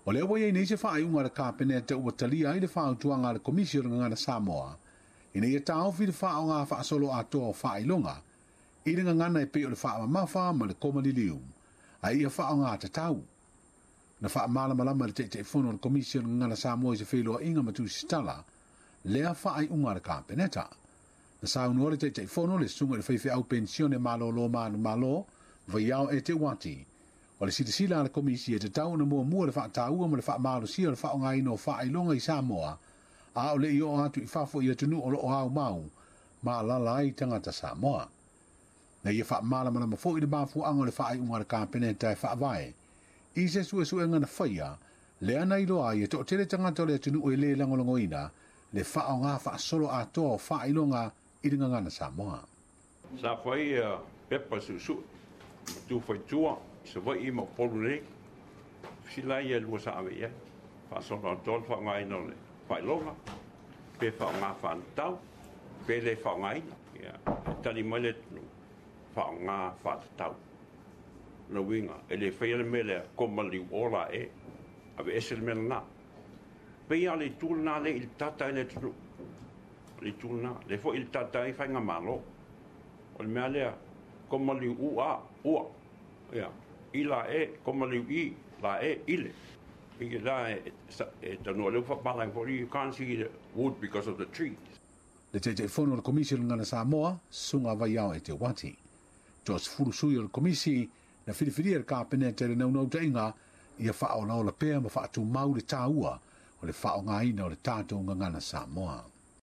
O lea ua i ai nei se faaiuga a le Kapeneta ua talia ai le fautuaga a le Komisi o le Gagana Samoa ina ia taofi le faaaoga faasoloatoa o faailoga i le gagana e pei o le faamamafa ma le koma liliu, a ia faaaoga tatau. Na faamalamalama e le Taitaifono o le Komisi o le Gagana Samoa i se feiloaiga ma tusitala lea faaiuga a le Kapeneta. Na saunoa le Taitaifono, le susuga i le faifeau penisione malolo manumalo Vaiao Eteuati, o le silasila a le Komisi e tatau ona muamua le faataua ma le faamalosia o le faaaogaina o faailoga i Samoa, a o le i oo atu i fafo i atunuu o lo o aumau ma alaala ai tagata Samoa. Na ia faamalamalama foi le mafuaaga o le faaiuga a le Kapeneta e faavae i se suesuega na faia lea na iloa ai e toatele tagata o le atunuu e le lagolagoina le faaaoga faasoloatoa o faailoga i le gagana Samoa. Sa fai pepa suesue ma tu faitua i Savaii ma Upolu nei. Fesili ia lua sa ave i ai. Faasoloatoa le faaaogaina o le faailoga, pe faaaoga faatatau, pe le faaaogaina. Ia, e tali mai le atunuu, faaaoga faatatau. Lona uiga, e le faia le mea lea, koma liu o la e, ave ese le mea lena. Pei lava o le itu lena lea i le tata ai le atunuu. O le itu lena, lea foi i le tata ai faigamalo. O le mea lea, koma liu u a, ua, ia, i la e, koma liu i, la e, ile. Pei la e tanoa lea ua faapalagi foi, you can't see the wood because of the trees. Le Taitaifono o le Komisi o le Gagana Samoa, Susuga Vaiao Eteuati. 30 sui o le Komisi na filifilia e le Kapeneta i le naunautaiga ia faaolaola pea ma faatumau le taua o le faaaogaina o le tatou gagana Samoa.